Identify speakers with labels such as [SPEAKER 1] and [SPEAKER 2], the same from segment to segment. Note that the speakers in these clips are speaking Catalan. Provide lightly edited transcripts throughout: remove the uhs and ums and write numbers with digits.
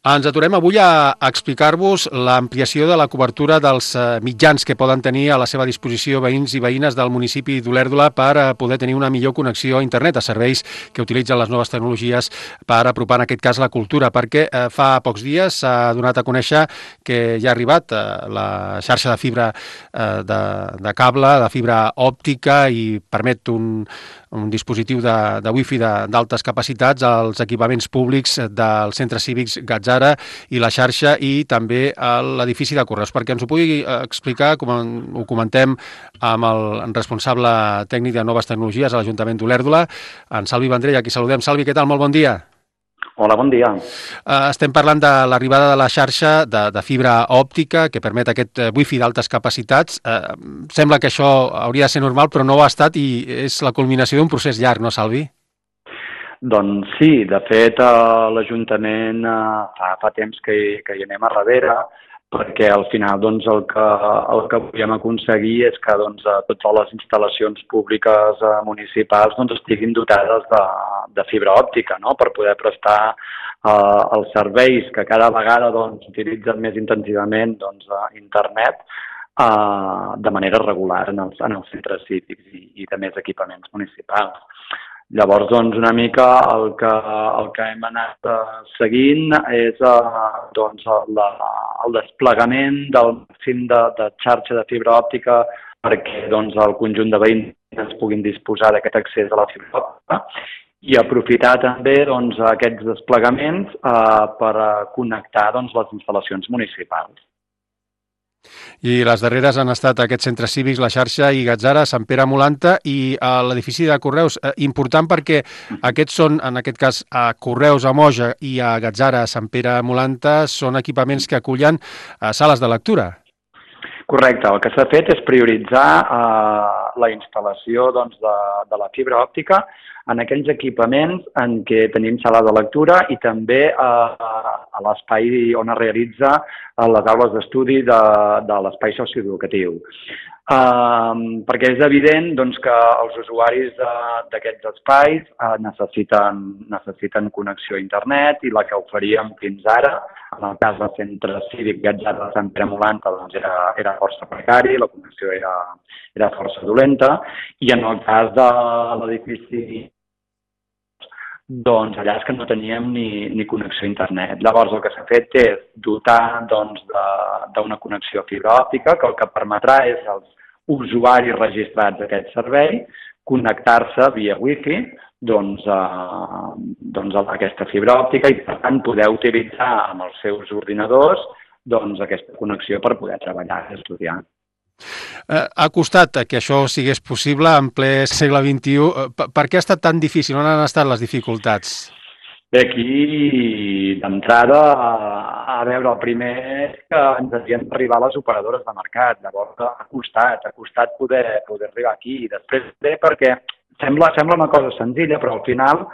[SPEAKER 1] Ens aturem avui a explicar-vos l'ampliació de la cobertura dels mitjans que poden tenir a la seva disposició veïns i veïnes del municipi d'Olèrdola per poder tenir una millor connexió a internet, a serveis que utilitzen les noves tecnologies per apropar en aquest cas la cultura, perquè fa pocs dies s'ha donat a conèixer que ja ha arribat la xarxa de fibra de cable, de fibra òptica i permet un dispositiu de wifi d'altes capacitats als equipaments públics dels centres cívics Gatzara i la xarxa i també a l'edifici de Correus. Perquè ens ho pugui explicar, com ho comentem amb el responsable tècnic de noves tecnologies a l'Ajuntament d'Olèrdola, en Salvi Vendrell, a qui saludem. Salvi, què tal? Molt bon dia.
[SPEAKER 2] Hola, bon dia.
[SPEAKER 1] Estem parlant de l'arribada de la xarxa de fibra òptica que permet aquest wifi d'altes capacitats. Sembla que això hauria de ser normal, però no ho ha estat i és la culminació d'un procés llarg, no, Salvi?
[SPEAKER 2] Doncs sí, de fet l'Ajuntament fa temps que hi anem a darrere, perquè al final doncs, el que volíem aconseguir és que totes les instal·lacions públiques municipals estiguin dotades de fibra òptica, no? Per poder prestar els serveis que cada vegada utilitzen més intensivament internet de manera regular en els centres cívics i de més equipaments municipals. Llavors, una mica el que hem anat seguint és el desplegament del màxim de xarxa de fibra òptica perquè el conjunt de veïns puguin disposar d'aquest accés a la fibra òptica i aprofitar també aquests desplegaments per connectar les instal·lacions municipals.
[SPEAKER 1] I les darreres han estat aquests centres cívics, la xarxa i Gatzara, Sant Pere Molanta i l'edifici de Correus. Important perquè aquests són, en aquest cas, a Correus, a Moja i a Gatzara, a Sant Pere Molanta, són equipaments que acullen sales de lectura.
[SPEAKER 2] Correcte. El que s'ha fet és prioritzar la instal·lació de la fibra òptica en aquells equipaments en què tenim sala de lectura i també a l'espai on es realitza les aules d'estudi de l'espai socioeducatiu. Perquè és evident que els usuaris d'aquests espais necessiten connexió a internet i la que oferíem fins ara, en el cas del centre cívic Gatzara de Sant Pere Molanta, era força precari, la connexió era força dolenta, i en el cas de l'edifici allà és que no teníem ni connexió a internet. Llavors el que s'ha fet és dotar d'una connexió a fibra òptica que el que permetrà és als usuaris registrats d'aquest servei connectar-se via wifi a aquesta fibra òptica i per tant poder utilitzar amb els seus ordinadors aquesta connexió per poder treballar i estudiar.
[SPEAKER 1] Ha costat que això sigués possible en ple segle XXI. Per què ha estat tan difícil? On han estat les dificultats?
[SPEAKER 2] Bé, aquí, d'entrada, a veure, el primer és que ens havien d'arribar les operadores de mercat. Llavors ha costat poder arribar aquí. I després bé, perquè sembla una cosa senzilla, però al final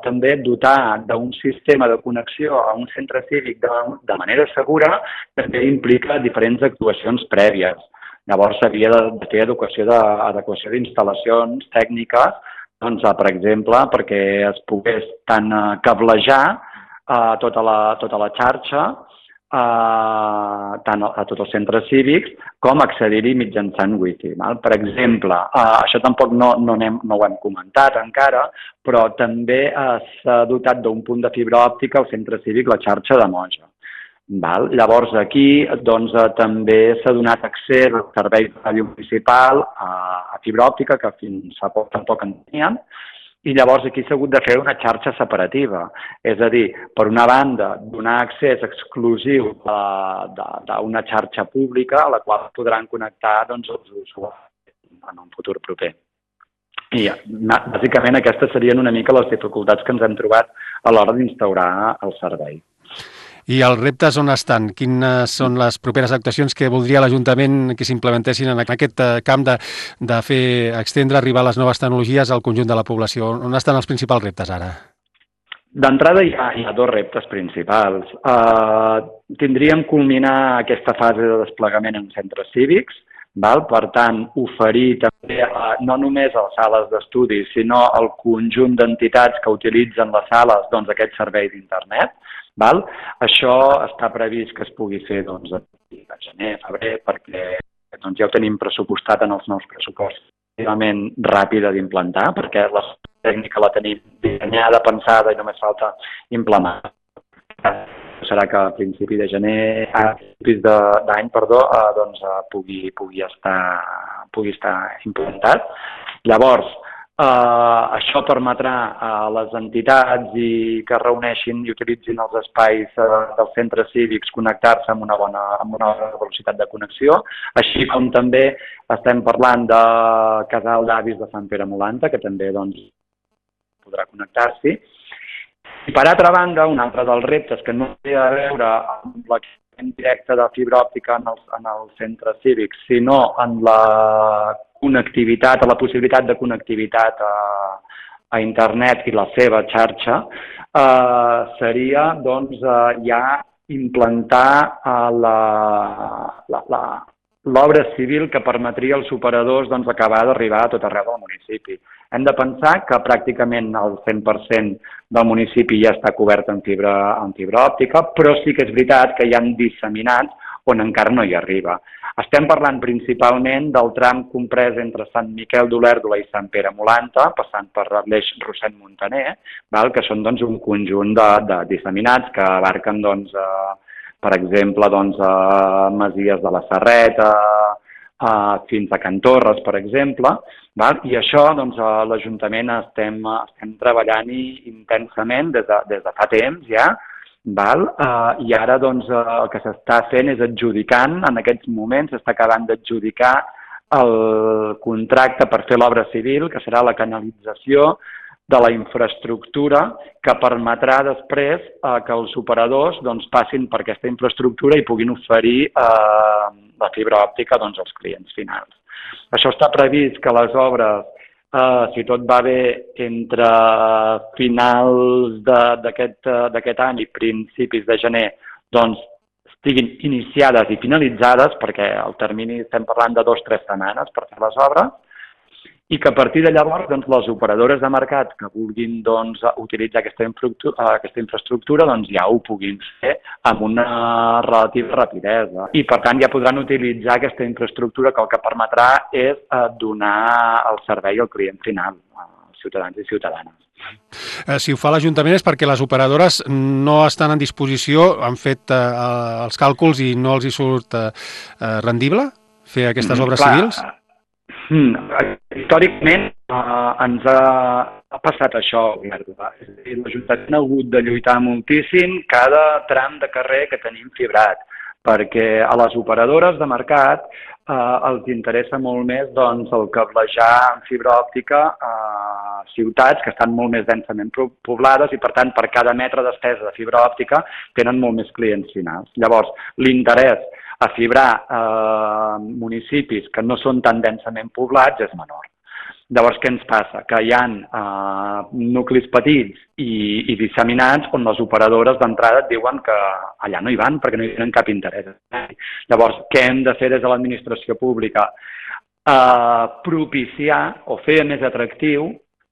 [SPEAKER 2] també dotar d'un sistema de connexió a un centre cívic de manera segura també implica diferents actuacions prèvies. Llavors s'havia de fer adequació d'instal·lacions tècniques, per exemple, perquè es pogués tant cablejar tota la xarxa tant a tots els centres cívics com accedir-hi mitjançant wifi. Per exemple, això tampoc no ho hem comentat encara, però també s'ha dotat d'un punt de fibra òptica al centre cívic la xarxa de Moja. Llavors aquí també s'ha donat accés als serveis de ràdio municipal a fibra òptica que fins fa poc tampoc en teníem. I llavors aquí s'ha hagut de fer una xarxa separativa. És a dir, per una banda, donar accés exclusiu d'una xarxa pública a la qual podran connectar els usuaris en un futur proper. I bàsicament aquestes serien una mica les dificultats que ens hem trobat a l'hora d'instaurar el servei.
[SPEAKER 1] I els reptes on estan? Quines són les properes actuacions que voldria l'Ajuntament que s'implementessin en aquest camp de fer extendre, arribar a les noves tecnologies al conjunt de la població? On estan els principals reptes ara?
[SPEAKER 2] D'entrada hi ha dos reptes principals. Tindríem culminar aquesta fase de desplegament en centres cívics, val? Per tant, oferir també no només a les sales d'estudi, sinó al conjunt d'entitats que utilitzen les sales doncs, aquest servei d'internet. Val? Això està previst que es pugui fer doncs, a gener, febrer, perquè doncs, ja ho tenim pressupostat en els nous pressupostos. Relativament ràpida d'implantar, perquè la tècnica la tenim dissenyada, pensada i només falta implementar. Serà que a principi de gener, a principis d'any, doncs pugui estar implantat. Llavors, això permetrà a les entitats que es reuneixin i utilitzin els espais dels centres cívics connectar-se amb una bona velocitat de connexió, així com també estem parlant de Casal d'Avis de Sant Pere Molanta, que també doncs, podrà connectar-s'hi. I per altra banda, un altre dels reptes que no té a veure amb l'equipament directe de fibra òptica en els centres cívics, sinó en la connectivitat, a la possibilitat de connectivitat a internet i la seva xarxa, seria doncs, ja implantar l'obra civil que permetria als operadors doncs, acabar d'arribar a tot arreu del municipi. Hem de pensar que pràcticament el 100% del municipi ja està cobert en fibra òptica, però sí que és veritat que hi ha disseminats on encara no hi arriba. Estem parlant principalment del tram comprès entre Sant Miquel d'Olèrdola i Sant Pere Molanta, passant per l'eix Rossend-Montaner, que són doncs, un conjunt de disseminats que abarquen, doncs, per exemple, doncs, Masies de la Serreta, fins a Can Torres, per exemple, i això doncs, a l'Ajuntament estem treballant-hi intensament des de fa temps ja, i ara doncs, el que s'està fent és adjudicant, en aquests moments s'està acabant d'adjudicar el contracte per fer l'obra civil, que serà la canalització de la infraestructura que permetrà després que els operadors doncs, passin per aquesta infraestructura i puguin oferir la fibra òptica doncs, als clients finals. Això està previst que les obres, si tot va bé, entre finals d'aquest any i principis de gener, doncs, estiguin iniciades i finalitzades, perquè el termini estem parlant de 2 o 3 setmanes per fer les obres, i que a partir de llavors doncs, les operadores de mercat que vulguin doncs, utilitzar aquesta infraestructura doncs, ja ho puguin fer amb una relativa rapidesa. I per tant ja podran utilitzar aquesta infraestructura que el que permetrà és donar el servei al client final, als ciutadans i ciutadanes.
[SPEAKER 1] Si ho fa l'Ajuntament és perquè les operadores no estan en disposició, han fet els càlculs i no els hi surt rendible fer aquestes obres civils?
[SPEAKER 2] Històricament ens ha passat això, l'Ajuntament ha hagut de lluitar moltíssim cada tram de carrer que tenim fibrat, perquè a les operadores de mercat els interessa molt més doncs, el cablejar en fibra òptica a ciutats que estan molt més densament poblades i, per tant, per cada metre d'estesa de fibra òptica tenen molt més clients finals. Llavors, l'interès a fibrar municipis que no són tan densament poblats és menor. Llavors, què ens passa? Que hi ha nuclis petits i disseminats on les operadores d'entrada et diuen que allà no hi van perquè no hi tenen cap interès. Llavors, què hem de fer des de l'administració pública? Propiciar o fer més atractiu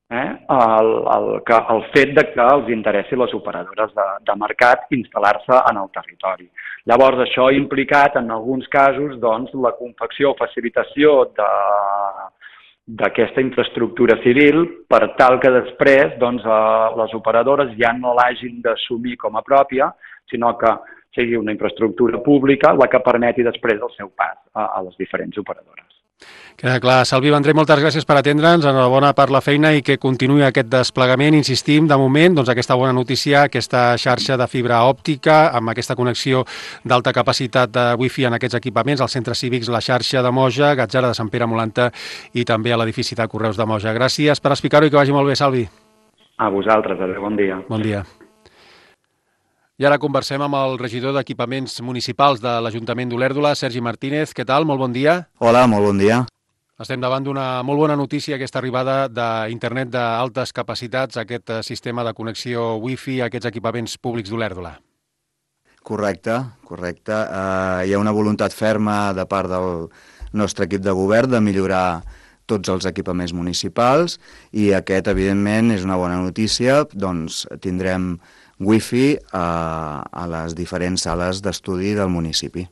[SPEAKER 2] el fet de que els interessi les operadores de mercat instal·lar-se en el territori. Llavors, això ha implicat, en alguns casos, doncs, la confecció o facilitació d'aquesta infraestructura civil per tal que després doncs, les operadores ja no l'hagin d'assumir com a pròpia, sinó que sigui una infraestructura pública la que permeti després el seu pas a les diferents operadores.
[SPEAKER 1] Queda clar. Salvi Vendrell, moltes gràcies per atendre'ns, enhorabona per la feina i que continuï aquest desplegament. Insistim, de moment, doncs aquesta bona notícia, aquesta xarxa de fibra òptica amb aquesta connexió d'alta capacitat de wifi en aquests equipaments, als centres cívics, la xarxa de Moja, Gatzara de Sant Pere Molanta i també a l'edifici de Correus de Moja. Gràcies per explicar-ho i que vagi molt bé, Salvi.
[SPEAKER 2] A vosaltres, adéu, bon dia.
[SPEAKER 1] Bon dia. I ara conversem amb el regidor d'Equipaments Municipals de l'Ajuntament d'Olèrdola, Sergi Martínez. Què tal? Molt bon dia.
[SPEAKER 3] Hola, molt bon dia.
[SPEAKER 1] Estem davant d'una molt bona notícia, aquesta arribada d'internet d'altes capacitats, aquest sistema de connexió wifi a aquests equipaments públics d'Olèrdola.
[SPEAKER 3] Correcte. Hi ha una voluntat ferma de part nostre equip de govern de millorar tots els equipaments municipals i aquest, evidentment, és una bona notícia, doncs tindrem wifi a les diferents sales d'estudi del municipi.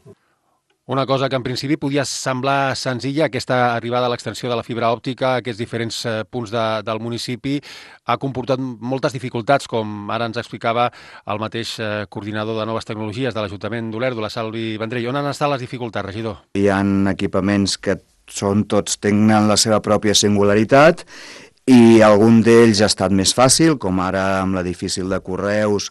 [SPEAKER 1] Una cosa que en principi podia semblar senzilla, aquesta arribada a l'extensió de la fibra òptica a aquests diferents punts del municipi ha comportat moltes dificultats, com ara ens explicava el mateix coordinador de noves tecnologies de l'Ajuntament d'Olèrdola, Salvi Vendrell. On han estat les dificultats, regidor?
[SPEAKER 3] Hi ha equipaments que tenen la seva pròpia singularitat i algun d'ells ha estat més fàcil, com ara amb l'edifici de Correus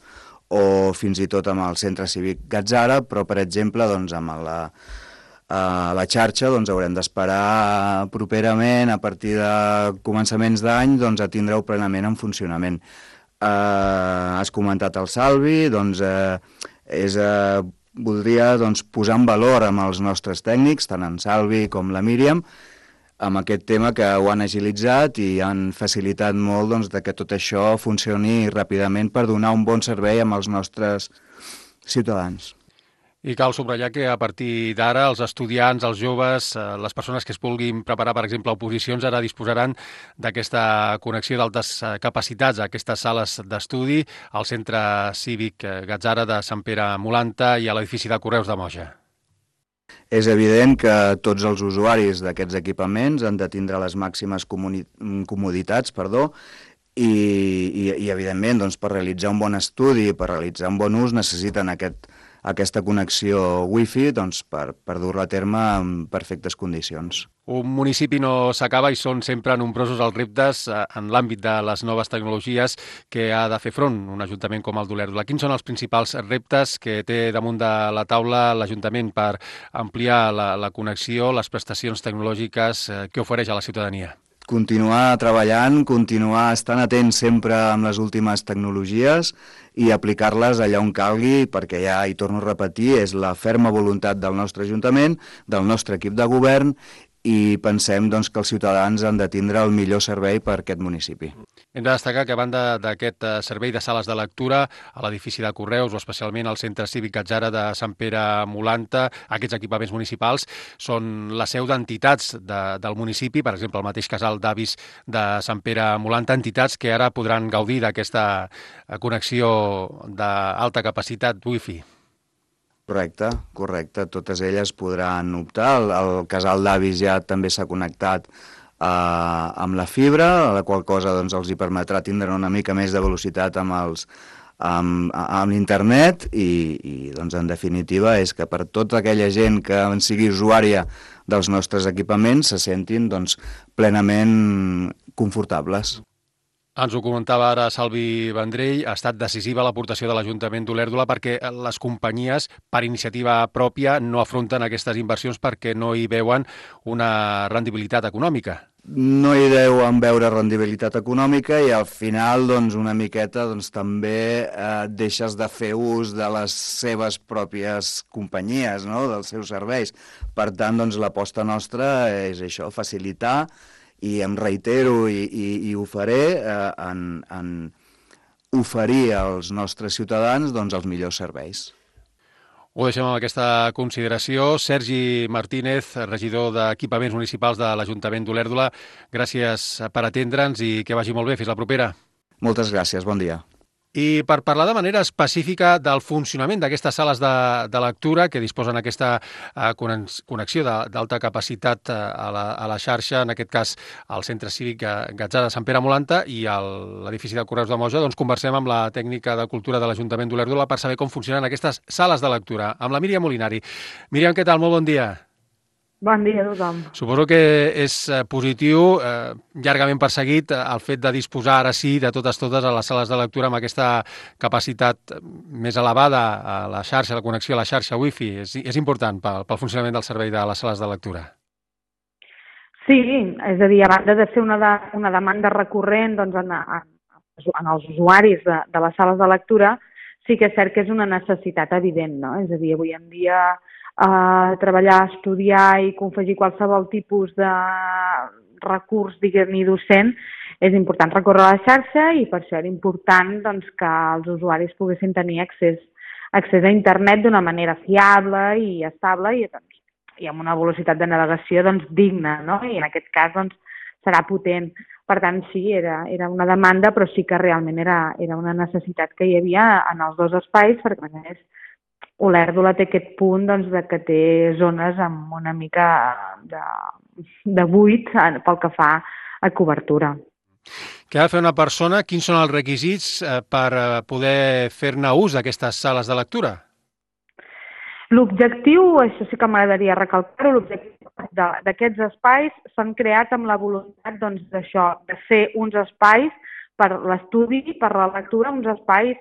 [SPEAKER 3] o fins i tot amb el Centre Cívic Gatzara, però, per exemple, doncs, amb la xarxa haurem d'esperar properament, a partir de començaments d'any, a tindre-ho plenament en funcionament. Has comentat el Salvi, voldria posar en valor amb els nostres tècnics, tant en Salvi com la Míriam, amb aquest tema que ho han agilitzat i han facilitat molt que tot això funcioni ràpidament per donar un bon servei als nostres ciutadans.
[SPEAKER 1] I cal subratllar que a partir d'ara els estudiants, els joves, les persones que es vulguin preparar, per exemple, a oposicions, ara disposaran d'aquesta connexió d'altes capacitats a aquestes sales d'estudi al Centre Cívic Gatzara de Sant Pere Molanta i a l'edifici de Correus de Moja.
[SPEAKER 3] És evident que tots els usuaris d'aquests equipaments han de tindre les màximes comoditats, i evidentment, per realitzar un bon estudi, per realitzar un bon ús, necessiten aquesta connexió wifi per dur-la a terme en perfectes condicions.
[SPEAKER 1] Un municipi no s'acaba i són sempre nombrosos els reptes en l'àmbit de les noves tecnologies que ha de fer front un ajuntament com el d'Olèrdola. Quins són els principals reptes que té damunt de la taula l'Ajuntament per ampliar la connexió, les prestacions tecnològiques que ofereix a la ciutadania?
[SPEAKER 3] Continuar treballant, continuar estant atents sempre amb les últimes tecnologies i aplicar-les allà on calgui, perquè ja, hi torno a repetir, és la ferma voluntat del nostre Ajuntament, del nostre equip de govern, i pensem que els ciutadans han de tindre el millor servei per aquest municipi.
[SPEAKER 1] Hem de destacar que a banda d'aquest servei de sales de lectura a l'edifici de Correus o especialment al Centre Cívic Gatzara de Sant Pere Molanta, aquests equipaments municipals són la seu d'entitats del municipi, per exemple, el mateix casal d'avis de Sant Pere Molanta, entitats que ara podran gaudir d'aquesta connexió d'alta capacitat wifi.
[SPEAKER 3] Correcte. Totes elles podran optar. El casal d'avis ja també s'ha connectat amb la fibra, la qual cosa els hi permetrà tindre una mica més de velocitat amb l'internet i en definitiva és que per tota aquella gent que en sigui usuària dels nostres equipaments se sentin plenament confortables.
[SPEAKER 1] Ens ho comentava ara Salvi Vendrell, ha estat decisiva l'aportació de l'Ajuntament d'Olèrdola perquè les companyies, per iniciativa pròpia, no afronten aquestes inversions perquè no hi veuen una rendibilitat econòmica.
[SPEAKER 3] No hi deuen veure rendibilitat econòmica i al final una miqueta també deixes de fer ús de les seves pròpies companyies, dels seus serveis. Per tant, l'aposta nostra és això, facilitar, i em reitero i ho faré en oferir als nostres ciutadans els millors serveis.
[SPEAKER 1] Ho deixem amb aquesta consideració. Sergi Martínez, regidor d'Equipaments Municipals de l'Ajuntament d'Olèrdola, gràcies per atendre'ns i que vagi molt bé. Fins la propera.
[SPEAKER 3] Moltes gràcies, bon dia.
[SPEAKER 1] I per parlar de manera específica del funcionament d'aquestes sales de lectura que disposen aquesta connexió d'alta capacitat a la xarxa, en aquest cas al Centre Cívic Gatzara de Sant Pere Molanta i a l'edifici de Correus de Moja, conversem amb la tècnica de cultura de l'Ajuntament d'Olèrdola per saber com funcionen aquestes sales de lectura. Amb la Míriam Molinari. Míriam, què tal? Molt bon dia.
[SPEAKER 4] Bon dia a tothom.
[SPEAKER 1] Suposo que és positiu, llargament perseguit, el fet de disposar ara sí de totes a les sales de lectura amb aquesta capacitat més elevada a la xarxa, la connexió a la xarxa wifi. És important pel funcionament del servei de les sales de lectura.
[SPEAKER 4] Sí, és a dir, a banda de ser una demanda recurrent en els usuaris de les sales de lectura, sí que és cert que és una necessitat evident, no? És a dir, avui en dia treballar, estudiar i confegir qualsevol tipus de recurs, diguem-ne, docent, és important recórrer a la xarxa i per això era important que els usuaris poguessin tenir accés a internet d'una manera fiable i estable i i amb una velocitat de navegació doncs, digna, no? I en aquest cas doncs, serà potent. Per tant, sí, era una demanda, però sí que realment era una necessitat que hi havia en els dos espais, perquè a més Olèrdola té aquest punt doncs, de que té zones amb una mica de buit pel que fa a cobertura.
[SPEAKER 1] Què ha de fer una persona? Quins són els requisits per poder fer-ne ús d'aquestes sales de lectura?
[SPEAKER 4] L'objectiu, això sí que m'agradaria recalcar-ho, l'objectiu d'aquests espais s'han creat amb la voluntat doncs, d'això, de ser uns espais per l'estudi, per la lectura, uns espais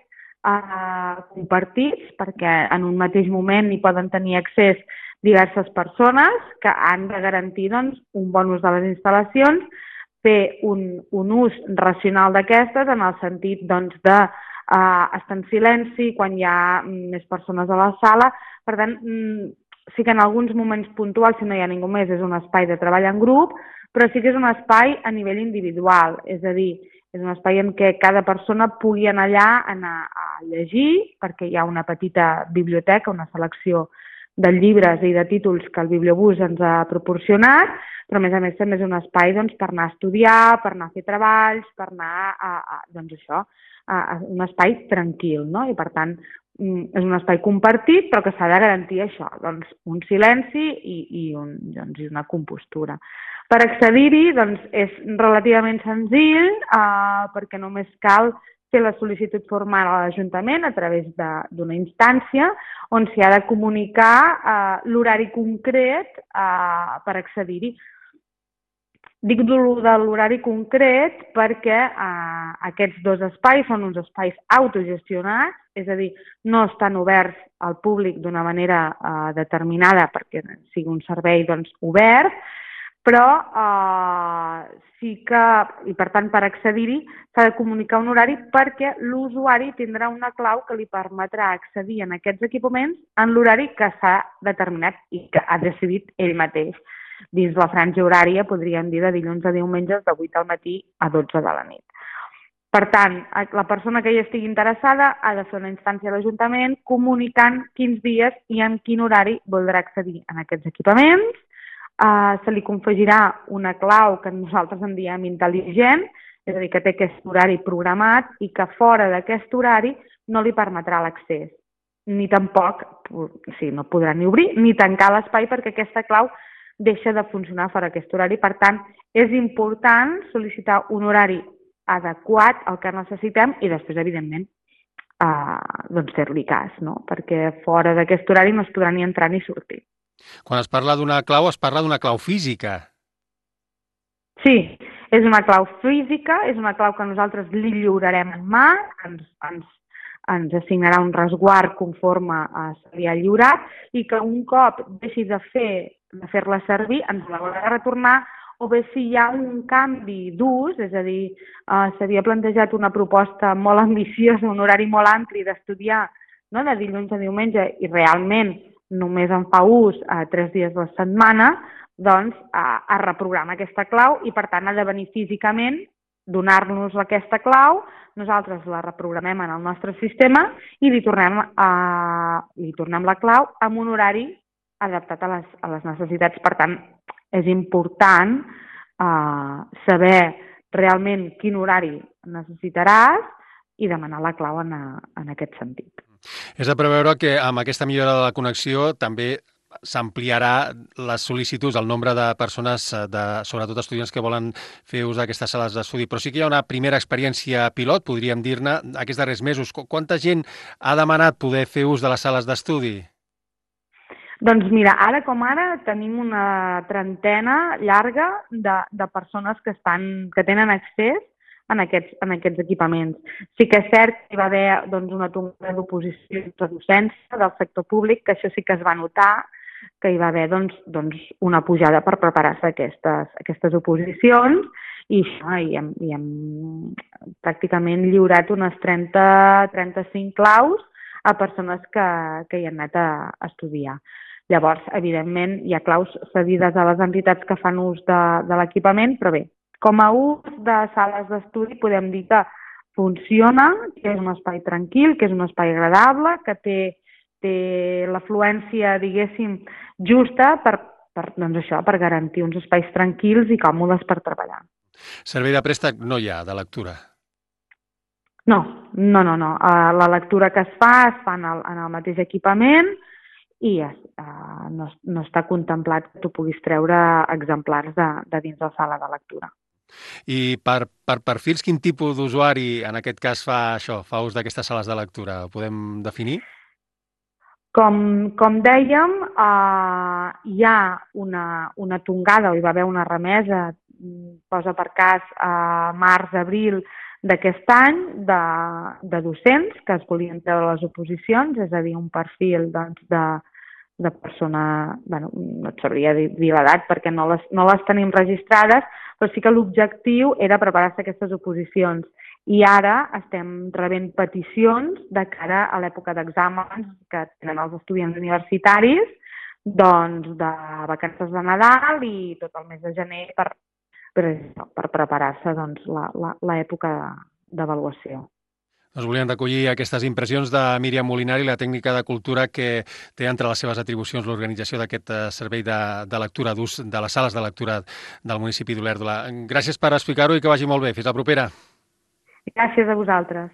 [SPEAKER 4] compartits, perquè en un mateix moment hi poden tenir accés diverses persones que han de garantir doncs, un bon ús de les instal·lacions, fer un ús racional d'aquestes en el sentit doncs, de estar en silenci quan hi ha més persones a la sala. Per tant, sí que en alguns moments puntuals, si no hi ha ningú més, és un espai de treball en grup, però sí que és un espai a nivell individual, és a dir, és un espai en què cada persona pugui anar allà a llegir, perquè hi ha una petita biblioteca, una selecció de llibres i de títols que el Bibliobús ens ha proporcionat, però a més també és un espai doncs, per anar a estudiar, per anar a fer treballs, per anar doncs això, a un espai tranquil, no? I per tant és un espai compartit, però que s'ha de garantir això, doncs, un silenci i una compostura. Per accedir-hi doncs, és relativament senzill perquè només cal fer la sol·licitud formal a l'Ajuntament a través d'una instància on s'hi ha de comunicar l'horari concret per accedir-hi. Dic de l'horari concret perquè aquests dos espais són uns espais autogestionats, és a dir, no estan oberts al públic d'una manera determinada perquè sigui un servei doncs, obert, però sí que, i per tant per accedir-hi, s'ha de comunicar un horari perquè l'usuari tindrà una clau que li permetrà accedir en aquests equipaments en l'horari que s'ha determinat i que ha decidit ell mateix. Dins la franja horària, podríem dir, de dilluns a diumenges, de 8 al matí a 12 de la nit. Per tant, la persona que hi estigui interessada ha de fer una instància a l'Ajuntament comunicant quins dies i en quin horari voldrà accedir en aquests equipaments. Se li confegirà una clau que nosaltres en diem intel·ligent, és a dir, que té aquest horari programat i que fora d'aquest horari no li permetrà l'accés. Ni tampoc, no podrà ni obrir ni tancar l'espai perquè aquesta clau deixa de funcionar fora d'aquest horari. Per tant, és important sol·licitar un horari adequat al que necessitem i després, evidentment, fer-li cas, no? Perquè fora d'aquest horari no es podrà ni entrar ni sortir.
[SPEAKER 1] Quan es parla d'una clau, es parla d'una clau física.
[SPEAKER 4] Sí, és una clau física, és una clau que nosaltres li lliurarem en mà, ens assignarà un resguard conforme se li ha lliurat i que un cop deixi de fer-la servir ens l'haurà de retornar, o bé si hi ha un canvi d'ús, és a dir, s'havia plantejat una proposta molt ambiciosa, un horari molt ampli d'estudiar, no?, de dilluns a diumenge i realment només en fa ús 3 dies a la setmana, doncs es reprograma aquesta clau i per tant ha de venir físicament, donar-nos aquesta clau, nosaltres la reprogramem en el nostre sistema i li tornem la clau amb un horari adaptat a les necessitats. Per tant, és important saber realment quin horari necessitaràs i demanar la clau en aquest sentit.
[SPEAKER 1] És de preveure que amb aquesta millora de la connexió també s'ampliarà les sol·licituds, el nombre de persones, sobretot estudiants que volen fer ús d'aquestes sales d'estudi. Però sí que hi ha una primera experiència pilot, podríem dir-ne, aquests darrers mesos. Quanta gent ha demanat poder fer ús de les sales d'estudi?
[SPEAKER 4] Doncs mira, ara com ara tenim una trentena llarga de persones que tenen accés en aquests equipaments. Sí que és cert que hi va haver una tongada d'oposició de docència del sector públic, que això sí que es va notar, que hi va haver una pujada per preparar-se aquestes oposicions i hem pràcticament lliurat unes 30-35 claus a persones que hi han anat a estudiar. Llavors, evidentment, hi ha claus cedides a les entitats que fan ús de l'equipament, però bé, com a ús de sales d'estudi podem dir que funciona, que és un espai tranquil, que és un espai agradable, que té té l'afluència, diguéssim, justa doncs això, per garantir uns espais tranquils i còmodes per treballar.
[SPEAKER 1] Servei de préstec no hi ha, de lectura?
[SPEAKER 4] No. La lectura que es fa en el mateix equipament i no està contemplat que tu puguis treure exemplars de dins la sala de lectura.
[SPEAKER 1] I per perfils, quin tipus d'usuari en aquest cas fa ús d'aquestes sales de lectura? Ho podem definir?
[SPEAKER 4] Com dèiem, hi ha una tongada, o hi va haver una remesa, posa per cas a març-abril d'aquest any, de docents que es volien treure les oposicions, és a dir, un perfil de persona, no et sabria dir l'edat perquè no les tenim registrades, però sí que l'objectiu era preparar-se aquestes oposicions. I ara estem rebent peticions de cara a l'època d'exàmens que tenen els estudiants universitaris, doncs de vacances de Nadal i tot el mes de gener per preparar-se doncs, l'època d'avaluació.
[SPEAKER 1] Doncs volíem recollir aquestes impressions de Míriam Molinari, la tècnica de cultura que té entre les seves atribucions l'organització d'aquest servei de lectura d'ús de les sales de lectura del municipi d'Olèrdola. Gràcies per explicar-ho i que vagi molt bé. Fins la propera.
[SPEAKER 4] Gràcies a vosaltres.